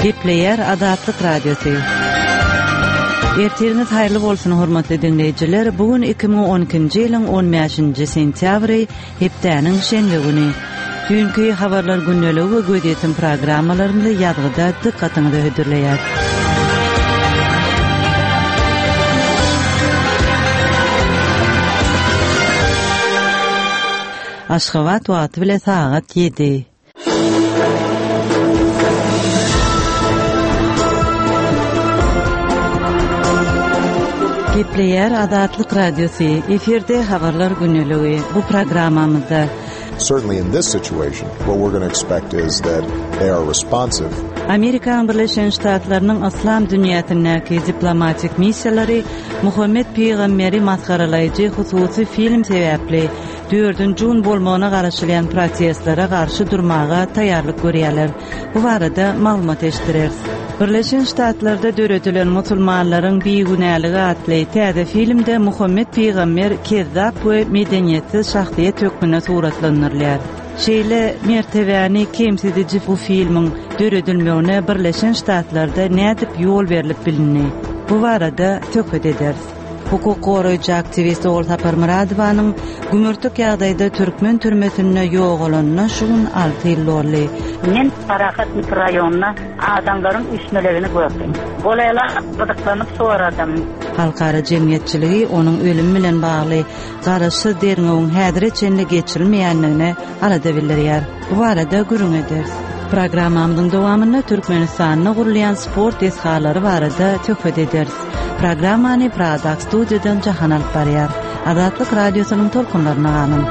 Gepleýär Azatlyk Radiosy. Ertiriňiz haýyrly bolsun, hormatly diňleýjiler! Bu gün 2012-nji ýylyň 15-nji sentýabry, hepdäniň şenbe güni. Düýnki Habarlar gündeligi we Gözýetim programmalarymyzy ýazgyda dykgatyňyza hödürleýäris. Aşgabat wagty bile sagat ýedi. Gepleýär Azatlyk Radiosy, efirde Habarlar gündeligi. Bu programmamyzda Certainly in this situation, what we're gonna expect is that they are responsive. Amerikanyň Birleşen Ştatlarynyň yslam dünýäsindäki diplomatik missiýalary Muhammet pygamberi masgaralaýjy hususy film sebäpli dördünji gün bolmagyna garaşylýan protestlere garşy durmaga taýýarlyk görýärler. Bu barada maglumat eşitdireris. Birleşen Ştatlarda döredilen Musulmanlaryň bigünäligi atly täze filmde Muhammet pygamber kezzap we medeniýetsiz şahsyýet hökmünde suratlandyrylýar. Şeýle mertebäni kemsidiji bu filmiň döredilmegine Birleşen Ştatlarda nädip ýol berlip bilindi? Bu barada söhbet ederis. Hukuk goraýjy aktiwist Ogulsapar Myradowanyň gümürtik ýagdaýda türkmen türmesinde ýogalanyna şu gün alty ýyl doldy. Men Parahat mikroraýonynda adamlaryň üýşmelegini gördüm. Golaýlap gyzyklanyp soradym. Halkara jemgyýetçiligi onuň ölümi bilen bagly garaşsyz derňewiň häzire çenli geçirilmeýändigine alada bildirýär. Bu barada gürrüň ederis. Programmamyzyň dowamynda Türkmenistanda gurulýan sport desgalary barada söhbet ederis. Programmany Pradaky studiýadan Jahan alyp barýar. Azatlyk Radiosynyň tolkunlaryna galyň.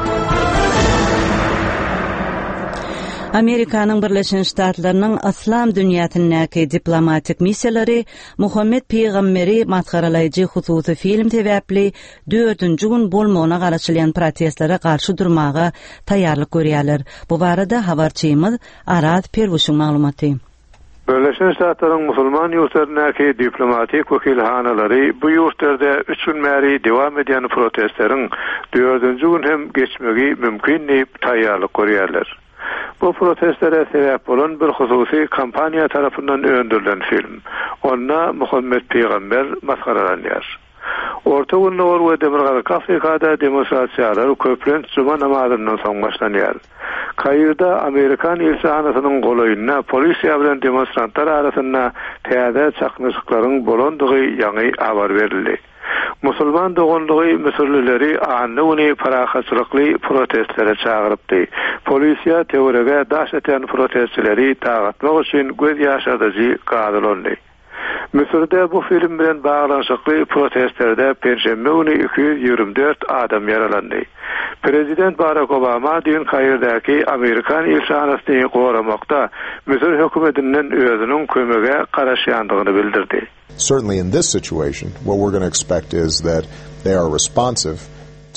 Amerikanyň Birleşen Ştatlarynyň yslam dünýäsindäki diplomatik missiýalary Muhammet pygamberi masgaralaýjy hususy film sebäpli dördünji gün bolmagyna garaşylýan protestlere garşy durmaga taýýarlyk görýärler. Bu barada habarçymyz Araz Perwişiň maglumaty. Birleşen Ştatlaryň musulman ýurtlaryndaky diplomatik wekilhanalary bu ýurtlarda üç gün bäri dowam edýän protestleriň dördünji gün hem geçmegi mümkin diýip taýýarlyk görýärler. Bu protestlere sebäp bolan bir hususy kompaniýa tarapyndan öndürilen film. Onda Muhammet pygamber masgaralanýar. Orta Gündogar we Demirgazyk Afrikada demonstrasiýalar köplenç juma namazyndan soň başlanýar. Kairde amerikan ilçihanasynyň golaýynda polisiýa bilen demonstrantlar arasynda täze çaknyşyklaryň bolandygy ýaňy habar berildi. Musulman doganlygy müsürlileri anna güni parahatçylykly protestlere çagyrypdy. Polisiýa töwerege daş atýan protestçileri dagatmak üçin göz ýaşardyjy gaz ulandy. Müsürde bu film bilen baglanyşykly protestlerde penşenbe güni 224 adam ýaralandy. Prezident Barak Obama düýn Kairdäki amerikan ilçihanasyny goramakda Müsür hökümetinden özüniň kömege garaşýandygyny bildirdi. Certainly in this situation, what we're gonna expect is that they are responsive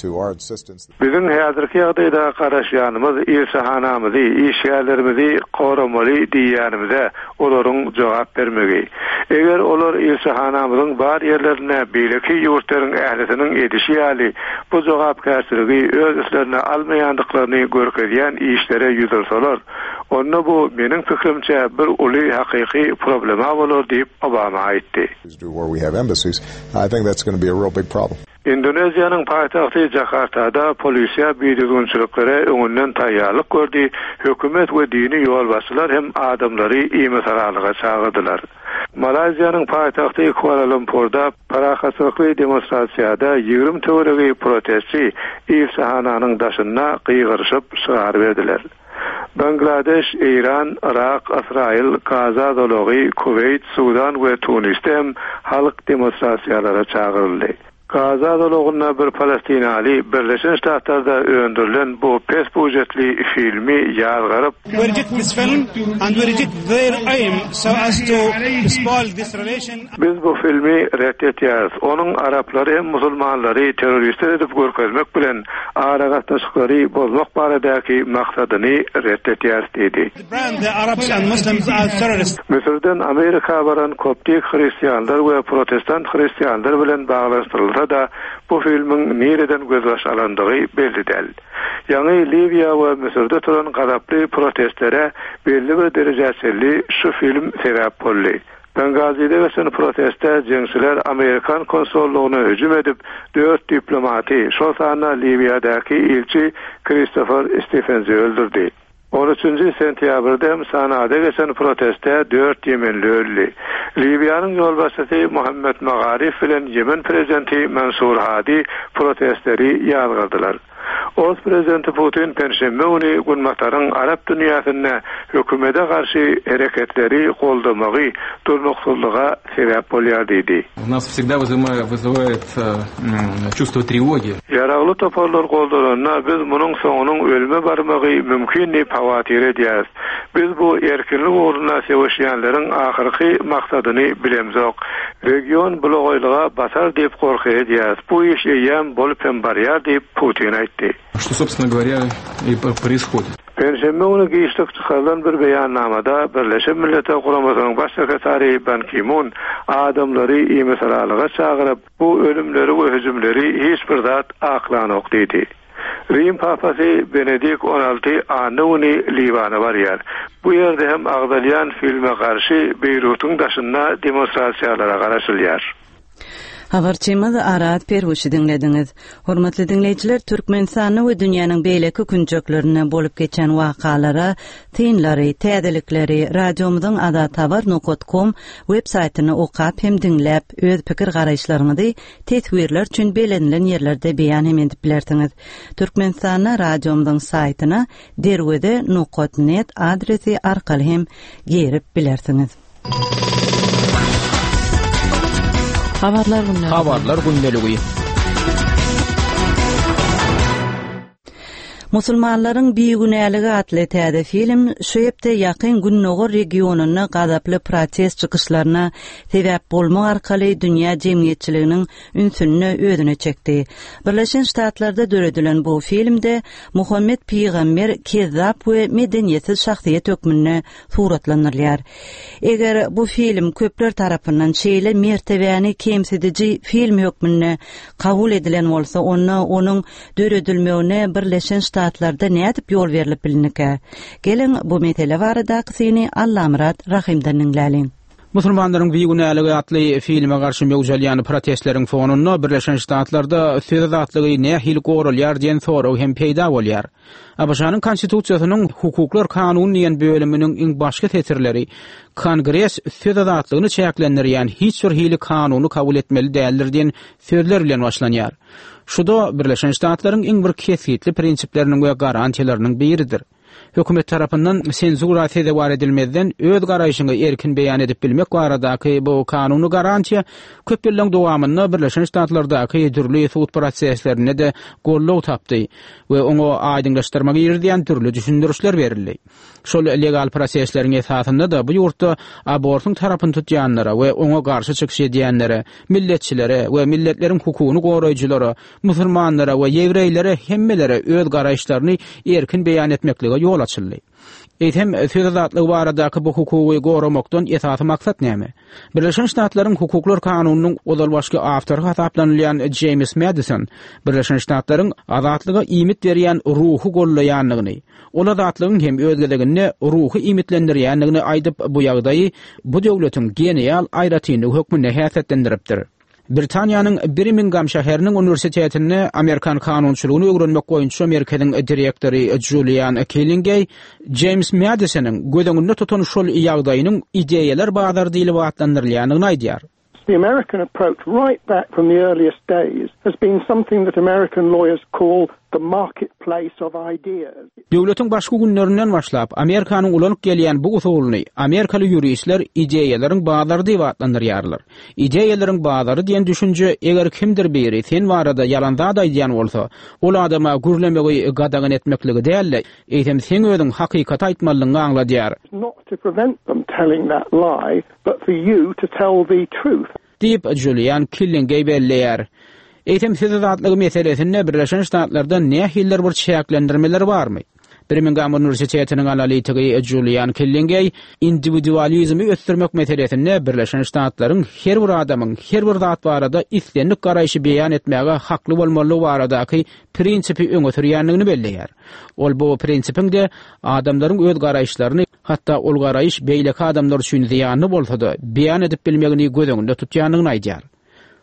to our insistence. Biziň häzirki ýagdaýda garaşýanymyz ilçihanamyzy, işgärlerimizi goramaly diýýänimize olaryň jogap bermegi. Eger olar ilçihanamyzyň bar ýerlerinde beýleki ýurtlaryň ählisiniň edişi ýaly bu jogapkärçiligi öz üstlerine almaýandyklaryny görkezýän işlere ýüz ursalar, onda bu meniň pikirimçe bir uly hakyky problema bolar diýip, Obama aýtdy. Indoneziýanyň paýtagty Jakartada polisiýa bidüzgünçiliklere öňünden taýýarlyk gördi, hökümet we dini ýolbaşçylar hem adamlary imisalalyga çagyrdylar. Malaýziýanyň paýtagty Kuala-Lumpurda parahatçylykly demonstrasiýada 20 töweregi protestçi ilçihananyň daşynda gygyryşyp şygar berdiler. Bangladeş, Eýran, Yrak, Ysraýyl, Gaza zolagy, Kuweýt, Sudan we Tunisde hem halk demonstrasiýalara çagyryldy. Gaza zolagynda bir palestinaly Birleşen Ştatlarda öndürilen bu pes býujetli filmi ýazgaryp, We reject this film and we reject their aim so as to spoil this relation. Biz bu filmi ret etýäris. Onuň araplary hem musulmanlary terroristler edip görkezmek bilen. Aragatnaşyklary bozmak baradaky maksadyny ret etýäris diýdi. Müsürden Amerika baran koptik hristianlar we protestant hristianlar bilen baglanyşdyrylsa-da, bu filmiň nireden gözbaş alandygy belli däl. Ýaňy Liwiýa we Müsürde turan gazaply protestlere belli bir derejä çenli şu film sebäp boldy. Bengazide geçen protestde jeňçiler amerikan konsollygyna hüjüm edip, dört diplomaty, şol sanda Liwiýadaky ilçi Kristofer Stefensi öldürdi. On üçünji sentýabrda hem Sanada geçen protestde dört ýemenli öldi. Liwiýanyň ýolbaşçysy Muhammed Magarif bilen Ýemen prezidenti Mansur Hadi protestleri ýazgardylar. Ors prezidenti Putin penşenbe güni Günbataryň arap dünýäsinde hökümete garşy hereketleri goldamagy durnuksyzlyga sebäp bolýar diýdi. U nas wsegda wyzywaet çувство trewogi. Ýaragly toparlar goldananda biz munuň soňunyň ölüme barmagy mümkin diýip howatyr edýäris. Biz bu erkinlik ugrunda söweşýänleriň ahyrky maksadyny bilemzok. Region bulagaýlyga batar diýip gorky edýäris. Bu iş eýýäm bolup hem barýar diýip, Putin aýtdy. Što sobstweno gowarýa i proishodit. Penşenbe güni giçlik çykarylan bir beýannamada Birleşen Milletler Guramasynyň Baş sekretary Ban Ki-mun adamlary imisalalyga çagyryp, Bu ölümleri we hüjümleri hiç bir zat aklanok diýdi. Rim papasy Benedik on alty anna güni Liwana barýar. Bu ýerde hem agzalýan filme garşy Beýrutyň daşynda demonstrasiýalara garaşylýar. Habarçymyz Arat Perwişi diňlediňiz. Hormatly diňleýjiler, Türkmenistanda we dünýäniň beýleki künjeklerinde bolup geçen wakalara synlary, täzelikleri radiomyzyň azathabar nokat kom web saýtynda okap hem diňläp, öz pikir-garaýyşlaryňyzy teswirler üçin bellenilen ýerlerde beýan hem edip bilersiňiz. Türkmenistanda radiomyzyň saýtyna derweze nokat net adresi arkaly hem girip bilersiňiz. Habarlar gündeligi. Habarlar gündeligi. Musulmanlaryň bigünäligi atly täze film şu hepde Ýakyn Gündogar regionynda gazaply protest çykyşlaryna sebäp bolmak arkaly dünýä jemgyýetçiliginiň ünsüni özüne çekdi. Birleşen Ştatlarda döredilen bu filmde Muhammet pygamber kezzap we medeniýetsiz şahsyýet hökmünde suratlandyrylýar. Eger bu film köpler tarapyndan şeýle mertebäni kemsidiji film hökmünde kabul edilen bolsa, onda onuň döredilmegine Birleşen Ştatlarda nädip ýol berlip bilinikä? Geliň, bu mesele baradaky syny Allamyrat Rahymdan diňläliň. Musulmanlaryň bigünäligi atly filme garşy möwç alýan protestleriň fonunda Birleşen Ştatlarda söz azatlygy nähili goralýar diýen sorag hem peýda bolýar. ABŞ-nyň Konstitusiýasynyň Hukuklar kanuny diýen bölüminiň iň başky setirleri Kongres söz azatlygyny çäklendirýän hiç bir hili kanuny kabul etmeli däldir diýen sözler bilen başlanýar. Şu-da Birleşen Ştatlaryň iň bir kesgitli prinsipleriniň we garantiýalarynyň biridir. Hökümet tarapyndan senzura sezewar edilmezden öz garaýşyňy erkin beýan edip bilmek baradaky bu kanuny garantiýa köp ýyllaryň dowamynda Birleşen Ştatlardaky dürli sud proseslerinde-de goldaw tapdy we oňa aýdyňlaşdyrma girizýän dürli düşündirişler berildi. Şol legal prosesleriň esasynda-da bu ýurtda abortyň tarapyny tutýanlara we oňa garşy çykyş edýänlere, milletçilere we milletleriň hukugyny goraýjylara, musulmanlara we ýewreýlere hemmelere öz garaýyşlaryny erkin beýan etmeklige ýol açyldy. Eýsem, söz azatlygy baradaky bu hukugy goramakdan esasy maksat näme? Birleşen Ştatlaryň Hukuklar kanunynyň ozalbaşky awtory hasaplanylýan Jeýms Madison Birleşen Ştatlaryň azatlyga iýmit berýän ruhy gollaýandygyny, ol azatlygyň hem öz gezeginde ruhy iýmitlendirýändigini aýdyp, bu ýagdaýy bu döwletiň genial aýratynlygy hökmünde häsiýetlendiripdir. Britaniýanyň Birmingam şäheriniň uniwersitetinde amerikan kanunçylygyny öwrenmek boýunça merkeziň direktory Julian Killingeý Jeýms Madisonyň göz öňünde tutan şol ýagdaýynyň ideýalar bazary diýlip atlandyrylýandygyny aýdýar. The American approach right back from the earliest days has been something that American lawyers call the marketplace of ideas. Döwletiň başky günlerinden başlap, Amerikanyň ulanyp gelýän bu usulyny amerikaly ýuristler ideýalaryň bazary diýip atlandyrýarlar. Ideýalaryň bazary diýen düşünje eger kimdir biri sen barada ýalan zat aýdýan bolsa, ol adama gürlemegi gadagan etmekligi däl-de, eýsem seň özüň hakykaty aýtmalydygyňy aňladýar. Not to prevent them telling that lie, but for you to tell the truth. Diýip, Julian Killingeý belleýär. Eýsem söz azatlygy meselesinde Birleşen Ştatlarda nähilidir bir çäklendirmeler barmy? Birmingam uniwersitetiniň analitigi Julian Killingeý indiwidualizmi ösdürmek meselesinde Birleşen Ştatlaryň her bir adamyň her bir zat barada islendik garaýşy beýan etmäge hakly bolmalydygy baradaky prinsipi öňe sürýändigini belleýär. Ol bu prinsipiň-de adamlaryň öz garaýyşlaryny, hatda ol garaýyş beýleki adamlar üçin zyýanly bolsa-da, beýan edip bilmegini göz öňünde tutýandygyny aýdýar.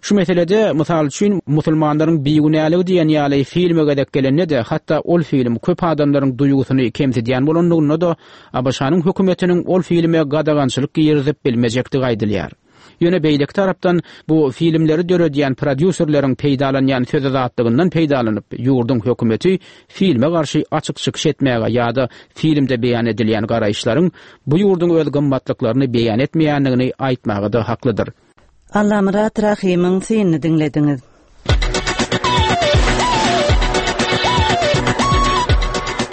Şu meselede, mysal üçin, Musulmanlaryň bigünäligi diýen ýaly filme gezek gelende-de, hatda ol film köp adamlaryň duýgusyny kemsidýän bolanlygynda-da, ABŞ-nyň hökümetiniň ol filme gadagançylyk girizip bilmejekdigi aýdylýar. Ýöne beýleki tarapdan, bu filmleri döredýän prodýuserleriň peýdalanýan söz azatlygyndan peýdalanyp, ýurduň hökümeti filme garşy açyk çykyş etmäge ýa-da filmde beýan edilýän garaýyşlaryň bu ýurduň öz gymmatlyklaryny beýan etmeýändigini aýtmaga-da haklydyr. Allamyrat Rahymyň synyny diňlediňiz.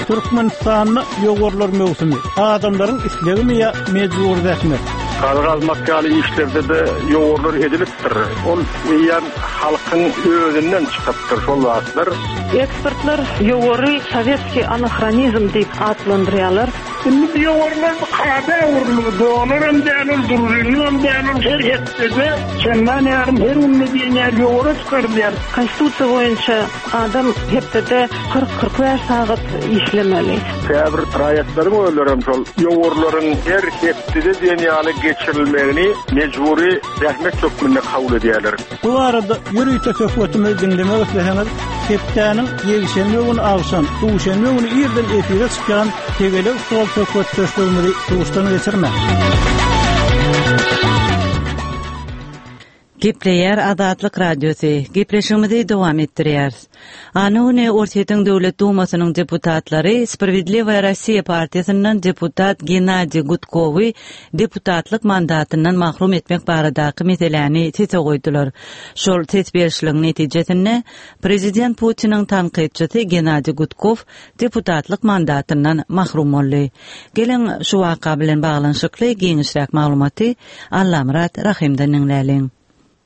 Türkmenistanda ýowarlar möwsümi. Adamlaryň islegimi ýa mejbury zähmet? Gazy gazmak ýaly işlerde-de ýowarlar edilipdir. Ol eýýäm halkyň özünden çykypdyr şol zatlar. Ekspertler ýowary sowetskiý anahronizm diýip atlandyrýarlar. Indi bu ýowarlar bir kada öwrüldi. Dolaram däl ol, družinligem däl ol. Her hepdede çendan ýarym her günde diýen ýaly ýowara çykarylýar. Konstitusiýa boýunça adam hepdede 40, 45 sagat işlemeli. Käbir raýatlaryň özlerem şol ýowarlaryň her hepdede diýen ýaly geçirilmegini mejbury zähmet hökmünde kabul edýärler. Bu barada ýörite söhbetimizi diňlemek isleseňiz, hepdäniň ýekşenbe güni agşam, duşenbe güni irden efire çykýan Tegelek stol söhbetdeşligimizi duşdan geçirmäň. Gepleýär Azatlyk Radiosy. Gepleşigimizi dowam etdirýäris. Anna güni Orsýetiň Döwlet Dumasynyň deputatlary Sprawiedliwaýa Rossiýa partiýasyndan deputat Gennadiý Gudkowy deputatlyk mandatyndan mahrum etmek baradaky meseläni sese goýdular. Şol ses berişligiň netijesinde, prezident Putiniň tankytçysy Gennadiý Gudkow deputatlyk mandatyndan mahrum boldy. Geliň, şu waka bilen baglanyşykly giňişräk maglumaty Allamyrat Rahymdan diňläliň.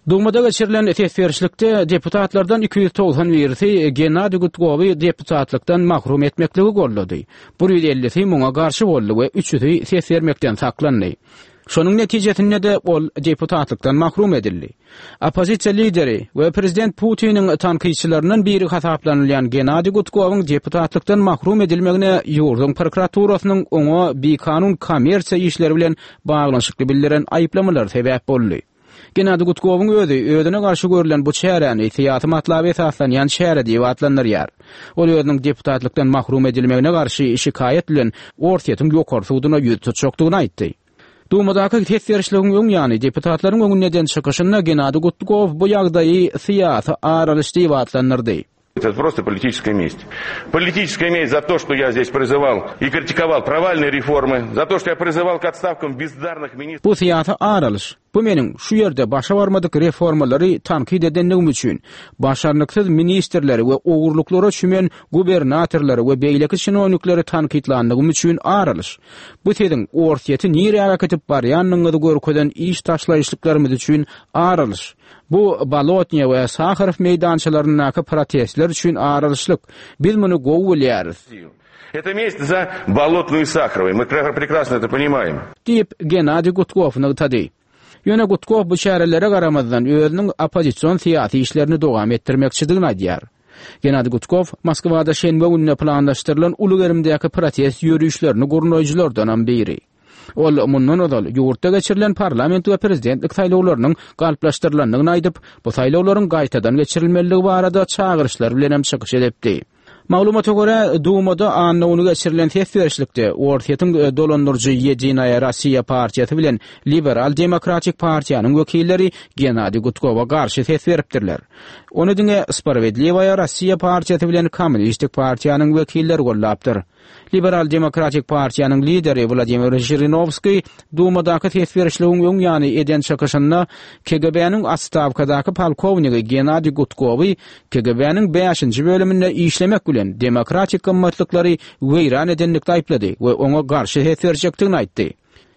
Dumada geçirilen ses berişlikde deputatlardan 290 birisi Gennadiý Gudkowy deputatlykdan mahrum etmekligi goldady. Bir ýüz ellisi muňa garşy boldy we üçüsi ses bermekden saklandy. Şonuň netijesinde-de ol deputatlykdan mahrum edildi. Oppozisiýa lideri we prezident Putiniň tankytçylaryndan biri hasaplanylýan Gennadiý Gudkowyň deputatlykdan mahrum edilmegine ýurduň prokuraturasynyň oňa bikanun kommersiýa işleri bilen baglanyşykly bildiren aýyplamalary sebäp boldy. Gennadiý Gudkowyň özi özüne garşy görlen bu çäräni syýasy matlaba esaslanýan çäre diýip atlandyrýar. Ol özüniň deputatlykdan mahrum edilmegine garşy şikaýat bilen Orsýetiň Ýokary suduna ýüz tutjakdygyny aýtdy. Dumadaky ses berişligiň öň ýany deputatlaryň öňünde eden çykyşynda Gennadiý Gudkow bu ýagdaýy syýasy ar alyş diýip atlandyrdy. Это просто политическая месть. Политическая месть за то, что я здесь призывал и критиковал провальные реформы, за то, что я призывал к отставкам бездарных министров. Bu syýasy ar alyş. Bu meniň şu ýerde başa barmadyk reformalary tankyt edendigim üçin, başarnyksyz ministrleri we ogurlyklara çümen gubernatorlary we beýleki çinownikleri tankytlandygym üçin ar alyş. Bu siziň Orsýeti nirä äkidip barýandygyňyzy görkezen iş taşlaýyşlyklarymyz üçin ar alyş. Bu Bolotnýa we Saharow meýdançalaryndaky protestler üçin ar alyşlyk. Biz muny gowy bilýäris. Это месть за Bolotnuyu и Saharowy. Мы прекрасно это понимаем. Diýip, Gennadiý Gudkow nygtady. Ýöne Gudkow bu çärelere garamazdan, özüniň oppozision syýasy işlerini dowam etdirmekçidigini aýdýar. Gennadiý Gudkow Moskwada şenbe gününe planlaşdyrylan uly gerimdäki protest ýörişlerini gurnaýjylardanam biri. Ol mundan ozal ýurtda geçirilen parlament we prezidentlik saýlawlarynyň galplaşdyrylandygyny aýdyp, bu saýlawlaryň gaýtadan geçirilmelidigi barada çagyryşlar bilenem çykyş edipdi. Maglumata görä, Dumada anna güni geçirilen ses berişlikde Orsýetiň dolandyryjy Ýedinaýa Rossiýa partiýasy bilen Liberal-demokratik partiýanyň wekilleri Gennadiý Gudkowa garşy ses beripdirler. Ony diňe Sprawedliwaýa Rossiýa partiýasy bilen Kommunistik partiýanyň wekilleri goldapdyr. Liberal-demokratik partiýanyň lideri Wladimir Žirinowskiý Dumadaky ses berişligiň öň ýany eden çykyşynda KGB-niň otstawkadaky polkownigi Gennadiý Gudkowy KGB-niň bäşinji bölüminde işlemek bilen demokratik gymmatlyklary weýran edenlikde aýyplady we oňa garşy ses berjekdigini aýtdy.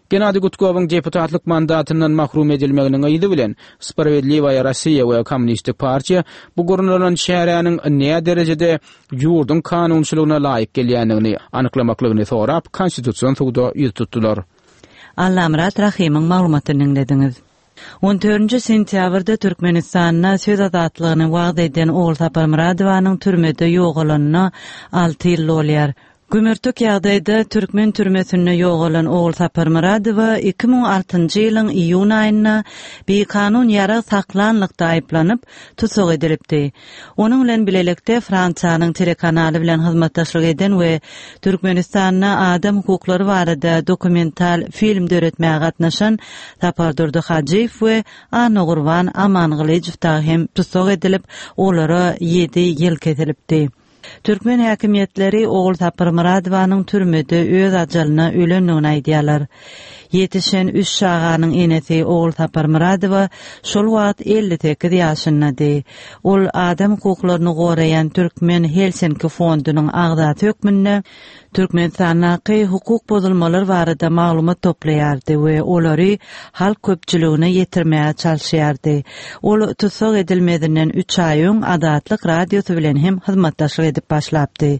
Gennadiý Gudkowyň deputatlyk mandatyndan mahrum edilmeginiň yzy bilen, Spravedliwaýa Rossiýa we Kommunistik partiýa bu gurnalan çäräniň näderejede ýurduň kanunçylygyna laýyk gelýändigini anyklamaklygyny sorap, Konstitusion suda ýüz tutdular. Allamyrat Rahymyň maglumatyny diňlediňiz. On dördünji sentýabrda Türkmenistanda söz azatlygyny wagyz eden Ogulsapar Myradowanyň türmede ýogalanyna alty ýyl dolýar. Gümürtik ýagdaýda türkmen türmesinde ýogalan Ogulsapar Myradowa 2006-njy ýylyň iýun aýynda bikanun ýarag saklanlykda aýyplanyp, tussag edilipdi. Onuň bilen bilelikde Fransiýanyň telekanaly bilen hyzmatdaşlyk eden we Türkmenistanda adam hukuklary barada dokumental film döretmäge gatnaşan Sapardurdy Hajyýew we Annagurban Amangylyjow dagy hem tussag edilip, olara ýedi ýyl kesilipdi. Türkmen häkimiýetleri Ogulsapar Myradowanyň türmede öz ajalyna ölendigini aýdýarlar. Ýetişen üç çaganyň enesi Ogulsapar Myradowa şol wagt 58 ýaşyndady. Ol adam hukuklaryny goraýan Türkmen Helsinki fondunyň agzasy hökmünde Türkmenistandaky hukuk bozulmalar barada maglumat toplaýardy we olary halk köpçüligine ýetirmäge çalyşýardy. Ol tussag edilmezinden üç aý öň Azatlyk Radiosy bilen hem hyzmatdaşlyk edip başlapdy.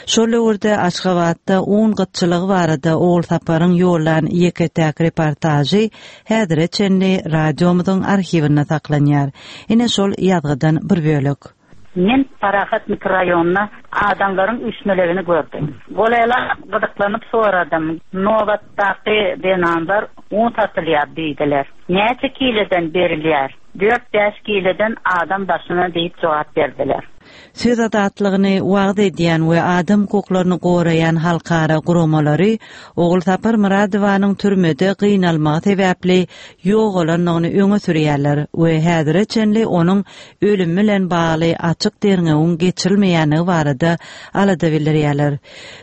Şol döwürde Aşgabatda un gytçylygy barada Ogulsaparyň ýollan ýeke-täk reportažy häzire çenli radiomyzyň arhiwinde saklanýar. Ine şol ýazgydan bir bölek. Men Parahat mikroraýonynda adamlaryň üýşmelegini gördüm. Golaýlap gyzyklanyp soradym. Nobatdaky zenanlar un satylýar diýdiler. Näçe kileden berilýär? Dört-bäş kileden adam başyna diýip jogap berdiler. Söz azatlygyny wagyz edýän we adam hukuklaryny goraýan halkara guramalary Ogulsapar Myradowanyň türmede gynalmagy sebäpli ýogalandygyny öňe sürýärler we häzire çenli onuň ölümi bilen bagly açyk derňewiň geçirilmeýändigi barada alada bildirýärler.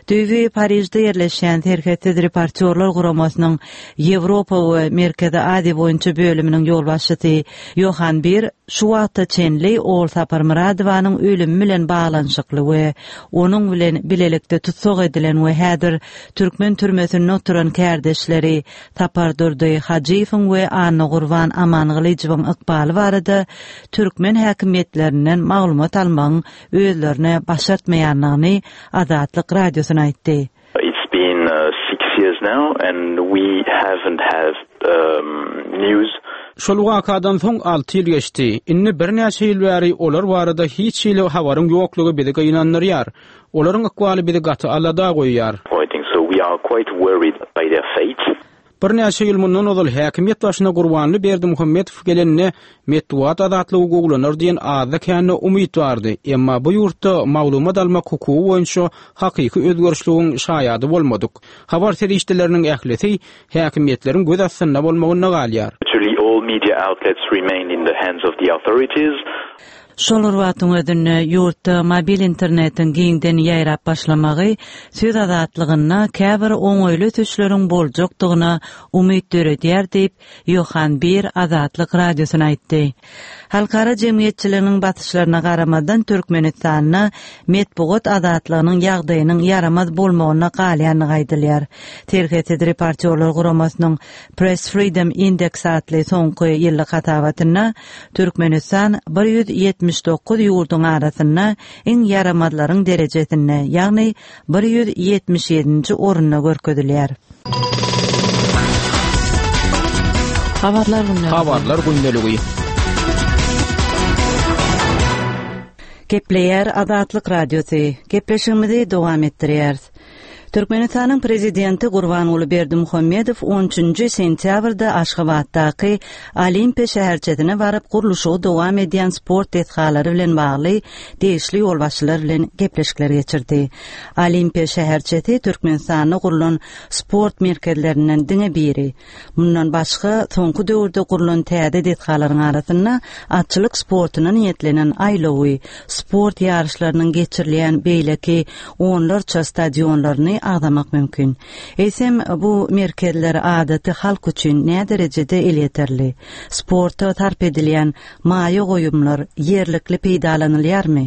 Düýbi Parižde ýerleşýän Serhetsiz reportýorlar guramasynyň Ýewropa we Merkezi Aziýa boýunça bölüminiň ýolbaşçysy Ýohan Bir şu wagta çenli Ogulsapar Myradowanyň ölümi bilen baglanyşykly we onuň bilen bilelikde tussag edilen we häzir türkmen türmesinde oturan kärdeşleri Sapardurdy Hajyýewiň we Annagurban Amangylyjowyň ykbaly barada türkmen häkimiýetlerinden maglumat almagyň özlerine başartmaýandygyny Azatlyk Radiosyna aýtdy. It's been six years now and we haven't have news. Şol wakadan soň alty ýyl geçdi. Indi birnäçe ýyl bäri olar barada hiç hili habaryň ýoklugy bizi gynandyrýar. Olaryň ykbaly bizi gaty alada goýýar. So we are quite worried by their fate. Birnäçe ýyl mundan ozal häkimiýet başyna Gurbanly Berdimuhamedow gelende metbugat azatlygy gowulanar diýen azda-kände umyt bardy. Emma bu ýurtda maglumat almak hukugy boýunça hakyky özgerişligiň şaýady bolmadyk. Habar serişdeleriniň ählisi häkimiýetleriň göz astynda bolmagynda galýar. Virtually all media outlets remain in the hands of the authorities. Şol bir wagtyň özünde, ýurtda mobil internetiň giňden ýaýrap başlamagy söz azatlygynda käbir oňaýly ösüşleriň boljakdygyna umyt döredýär diýip, Ýohan Bir Azatlyk Radiosyna aýtdy. Halkara jemgyýetçiliginiň basyşlaryna garamazdan, Türkmenistanda metbugat azatlygynyň ýagdaýynyň ýaramaz bolmagynda galýandygy aýdylýar. Serhetsiz reportýorlar guramasynyň Press Freedom Index atly soňky ýyllyk hasabatynda Türkmenistan 179 ýurduň arasynda iň ýaramazlaryň derejesinde, ýagny 177-nji orunda görkezilýär. Habarlar gündeligi. Habarlar gündeligi. Gepleýär Azatlyk Radiosy. Gepleşigimizi dowam etdirýäris. Türkmenistanyň Prezidenti Gurbanguly Berdimuhamedow on üçünji sentýabrda Aşgabatdaky Olimpiýa şäherçesine baryp, gurluşygy dowam edýän sport desgalary bilen bagly degişli ýolbaşçylar bilen gepleşikler geçirdi. Olimpiýa şäherçesi Türkmenistanda gurlan sport merkezlerinden diňe biri. Mundan başga, soňky döwürde gurlan täze desgalaryň arasynda atçylyk sportuna niýetlenen aýlawy, sport ýaryşlarynyň geçirilýän beýleki onlarça stadionlaryny. agzamak mümkin. Eýsem, bu merkezler adaty halk üçin näderejede elýeterli? Sporta sarp edilýän maýa goýumlar ýerlikli peýdalanylýarmy?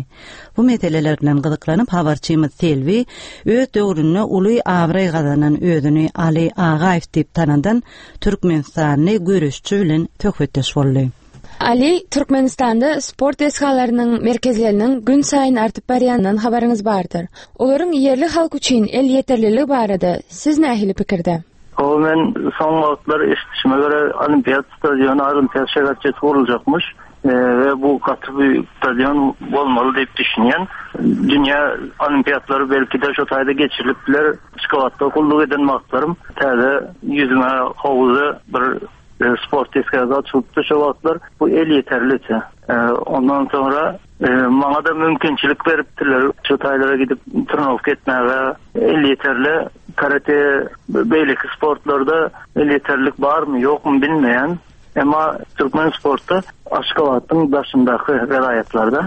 Bu meseleler bilen gyzyklanyp, habarçymyz Selbi öz döwründe uly abraý gazanan özüni Aly Agaýew diýip tanadan türkmenistanly göreşçi bilen söhbetdeş boldy. Ali, Türkmenistanda sport desgalarynyň merkezleriniň günsaýyn artyp barýanyndan habaryňyz bardyr. Olaryň ýerli halk üçin elýeterliligi barada siz nähili pikirde? Hawa, men soň wagtlar eşidişime görä Olimpiad stadiony, Olimpiad şäherçesi guruljakmyş we bu gaty büýük stadion bolmaly diýip düşünýän. Dünýä olimpiadlary belki-de şo taýda geçirilip biler. Aşgabatda gulluk eden wagtlarym täze ýüzme howuzy bir Sport desgasy açylypdy şo wagtlar. Bu elýeterlidi. Ondan soňra maňa-da mümkinçilik beripdiler şo taýlara gidip trenowka etmäge. Elýeterli karate, beýleki sportlarda elýeterlik barmy, ýokmy bilmeýän. Emma türkmen sportda Aşgabatdyň daşyndaky welaýatlarda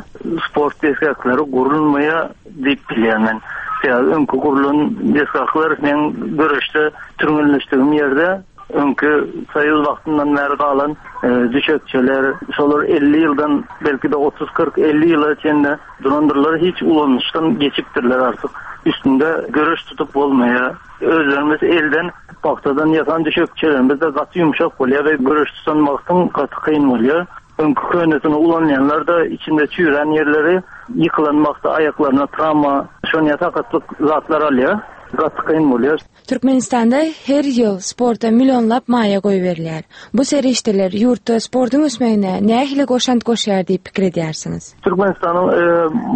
sport desgaklary gurulmaýar diýip bilýän men. Sebäbi öňki gurlan desgaklar meň göreşde türgenleşdigim ýerde Öňki soýuz wagtyndan bäri galan düşekçeler, şolar 50 ýyldan, belki-de 30, 40, 50 ýyla çenli durandyrlar, hiç ulanyşdan geçipdirler artyk. Üstünde göreş tutup bolmaýar. Özlerimiz elden pagtadan ýasan düşekçelerimiz-de gaty ýumşak bolýar we göreş tutan wagtyň gaty kyn bolýar. Öňki könesini ulanýanlar-da içinde çüýrän ýerleri ýykylan wagty aýaklaryna trawma, şonýa sakatlyk zatlar alýar. Gaty kyn bolýar. Türkmenistanda her ýyl sporta millionlap maýa goýberilýär. Bu serişdeler ýurtda sportuň ösmegine nähili goşant goşýar diýip pikir edýärsiňiz? Türkmenistanyň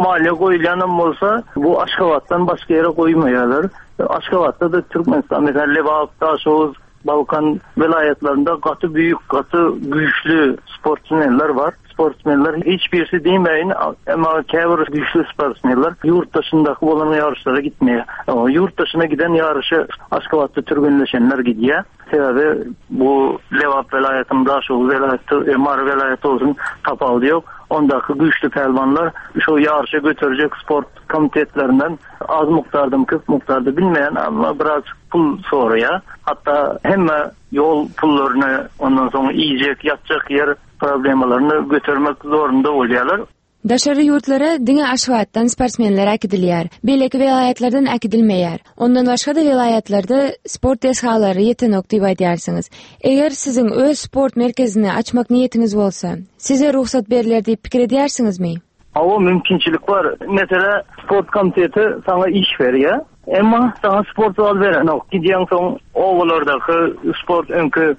maliýe goýulýanam bolsa, bu Aşgabatdan başga ýere goýmaýarlar. Aşgabatda-da Türkmenistan, meselem, Lebap, Daşoguz, Balkan welaýatlarynda gaty büýük, gaty güýçli sportsmenler bar. Sportsmenler hiç birisi diýmäýin, emma käbir güýçli sportsmenler ýurt daşyndaky bolan ýaryşlara gitmeýär. Ýurt daşyna giden ýaryşa Aşgabatda türgenleşenler gidýär. Sebäbi bu Lebap welaýatynyň, Daşoguz welaýaty, Mary welaýaty bolsun tapawudy ýok. Ondaky güýçli pälwanlar şo ýaryşa göterjek sport komitetlerinden az mukdardamy, köp mukdarda bilmeýän, emma biraz pul soraýar. Hatda hemme ýol pullaryny, ondan soň iýjek, ýatjak ýer problemalaryny götermek zorunda bolýarlar. Daşary ýurtlara diňe Aşgabatdan sportsmenler äkidilýär. Beýleki welaýatlardan äkidilmeýär. Ondan başga-da welaýatlarda sport desgalary ýetenok diýip aýdýarsyňyz. Eger siziň öz sport merkezini açmak niýetiňiz bolsa, size rugsat berler diýip pikir edýärsiňizmi? Hawa, mümkinçilik bar. Meselä, sport komiteti saňa iş berýär. Emma saňa sport zal berenok. Gidýäň soň obalardaky sport öňki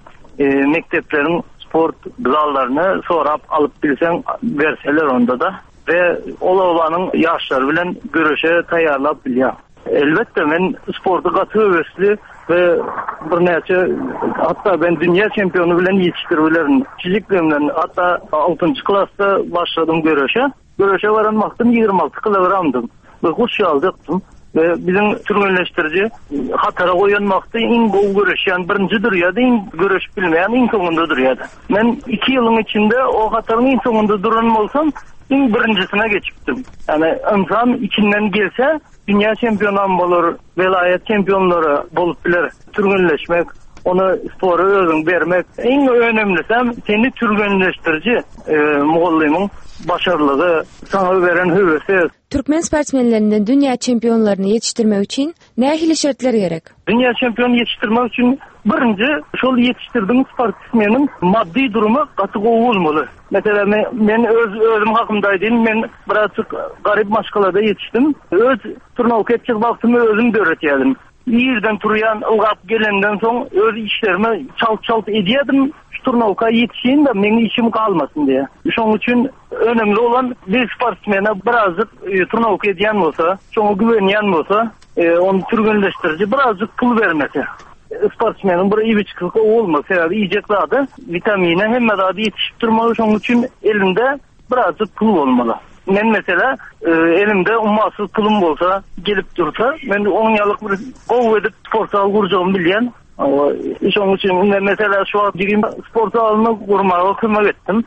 mekdepleriň sport zallaryny sorap alyp bilseň berseler onda-da we ol obanyň ýaşlary bilen göreşe taýýarlap bilýäň. Elbetde men sporty gaty höwesli we birnäçe hatda ben dünýä çempiony bilen ýetişdirip bilerin. Kiçijikligimden hatda altynjy klasda başladym göreşe. Göreşe baran wagtym 26 kilogramdym we guş ýalyjakdym. We biziň türgenleşdiriji hatara goýan wagty iň gowy göreşýän birinji durýardy, iň göreşip bilmeýän iň soňunda durýardy. Men iki ýylyň içinde o hataryň iň soňunda duran bolsam, iň birinjisine geçipdim. Ýani ynsan içinden gelse, dünýä çempionam bolar, welaýat çempionlary bolup biler. Türgenleşmek, ony spora özüň bermek. Iň önemlisem seni türgenleşdiriji mugallymyň başarlygy, saňa beren höwesi. Türkmen sportsmenlerinden dünýä çempionlaryny ýetişdirmek üçin nähili şertler gerek? Dünýä çempiony ýetişdirmek üçin birinji şol ýetişdirdigiň sportsmeniň maddy durumy gaty gowy bolmaly. Meselem, men öz özüm hakymda aýdayyn, men birazjyk garyp maşgalada ýetişdim. Öz turnawka etjek wagtymy özüm döretýärdim. Irden turýan, ylgap gelenden soň öz işlerimi çalt-çalt edýärdim, şu turnawka ýetişeýin-de, meň işim galmasyn diýe. Şonuň üçin önemli bolan bir sportsmene birazjyk turnawka edýän bolsa, şoňa güwenýän bolsa, ony türgenleşdiriji birazjyk pul bermesi. Sportsmeniň bir iýip-içgisi gowy bolmaly, sebäbi iýjek zady, witamine, hemme zady ýetişip durmaly, şonuň üçin elinde Birazjyk pul bolmaly. Men meselä elimde ummasyz pulum bolsa, gelip dursa, men oň ýalyk bir gowy edip sport zal gurjagymy bilýän. Şonuň üçin men meselä şu wagt jigim sport zalyny gurmaga kömek etdim.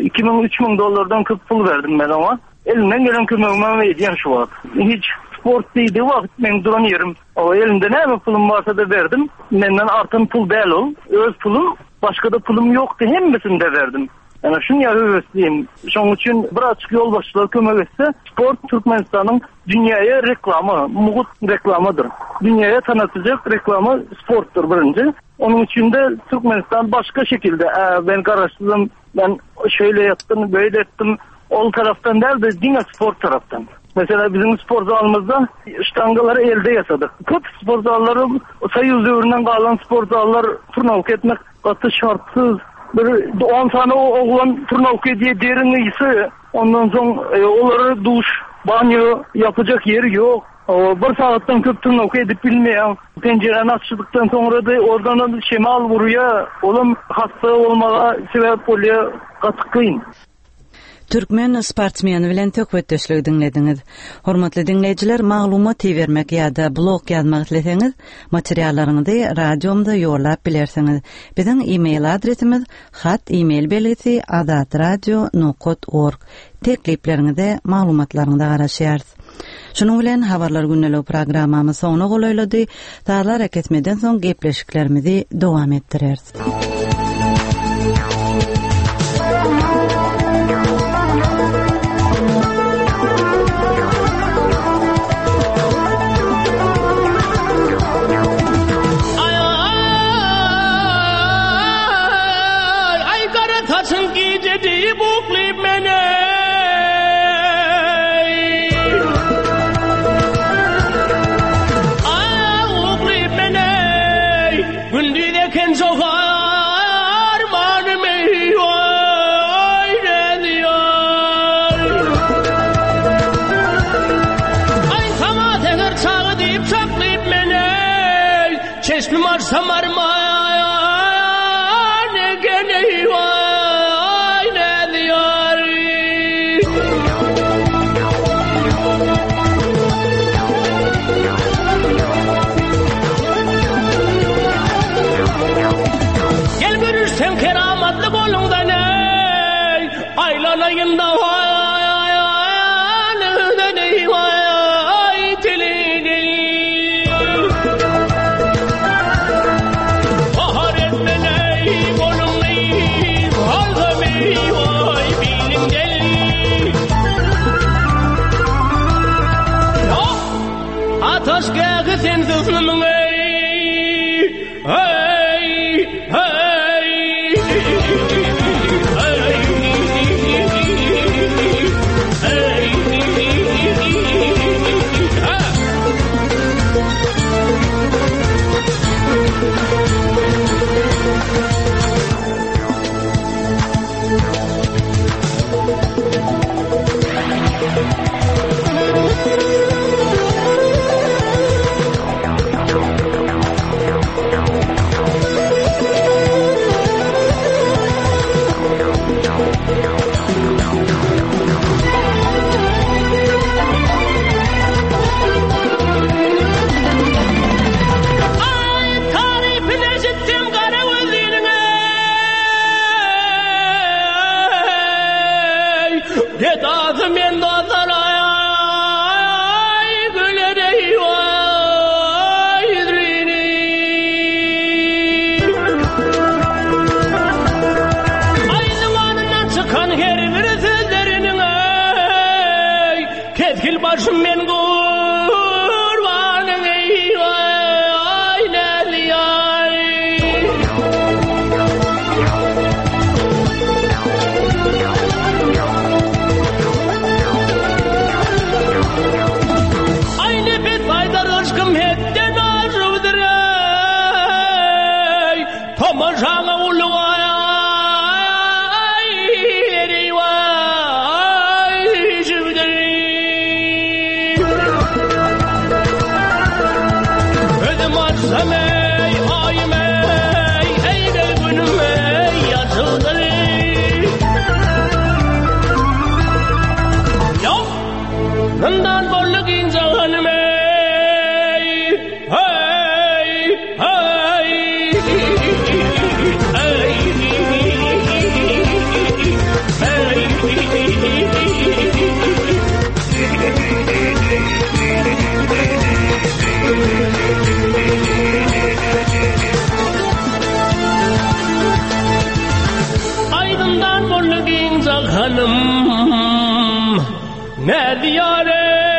2000, 3000 dollardan köp pul berdim men oňa. Elimden gelen kömegimi hem edýän şu wagt. Hiç. Sport diýdigi wagt meň duran ýerim. Hawa, elimde näme pulum barsa-da berdim. Menden artan pul däl ol. Öz pulum, başga-da pulum ýokdy, hemmesini-de berdim. Ýöne şuny höwesliyim. Şonuň üçin birazjyk ýolbaşçylar kömek etse, sport Türkmenistanyň dünýäye reklama, mugt reklamadyr. Dünýäye tanatyjak reklama sportdur birinji. Onuň üçin-de Türkmenistan başga şekilde, ä, men garaşsyzym, men şeýle ýapdym, beýle etdim, ol tarapdan däl-de, diňe sport tarapdan. Meselem, biziň sport zalymyzda ştangalary elde ýasadyk. Köp sport zallary Soýuz döwründen galan sport zallar turnawka etmek gaty şartsyz. Bir on sany oglan turnawka edýär, deriň ysy, ondan soň olara duş, banýo ýapyjak ýeri ýok. Bir sagatdan köp turnawka edip bilmeýäň. Penjiräni açdykdan soňra-da oradanam şemal urýar, olam hassa bolmaga sebäp bolýar, gaty kyn. Türkmen sportsmeni bilen söhbetdeşligi diňlediňiz. Hormatly diňleýjiler, maglumat ibermek ýa-da blog ýazmak isleseňiz, materiallaryňyzy radiomyza ýollap bilersiňiz. Biziň e-mail adresimiz hat e-mail belgisi azatradio nokat org. Teklipleriňize, maglumatlaryňyza garaşýarys. Şunuň bilen Habarlar gündeligi programmamyz soňuna golaýlady. Sazly arakesmeden soň gepleşiklerimizi dowam etdireris. Aý gara saçyň gije diýip uklyp men eý. Aý uklyp men eý. Gündiz eken çogarmanym eý oý näzýar. Aý saňa säher çagy diýip çaklyp men eý. Çeşmim açsam arman eken eý waý näzýar. Gel görüşsem keramatly goluňdan eý, aýlanaýyn da Ataş gähi sensiz nymyň eý, Hey, hey, Gedasy men dosalaý güler eý waý ýüzrini. Aý zybanyndan çykan her bir sözleriniň eý kesgil başym men gurbanyň eý waý näzli-aý. Aý nepes aýdar yşkym hetden aşypdyr eý, Tomaşaňa uly aý, eý waý, şübdir. Özüm açsam eý, aýym eý, eý gel günüm eý, ýaşyldyr. Ýok, zyndan boldy giň jahanym eý, heý, heý, heý, heý. Näzi ýar eý.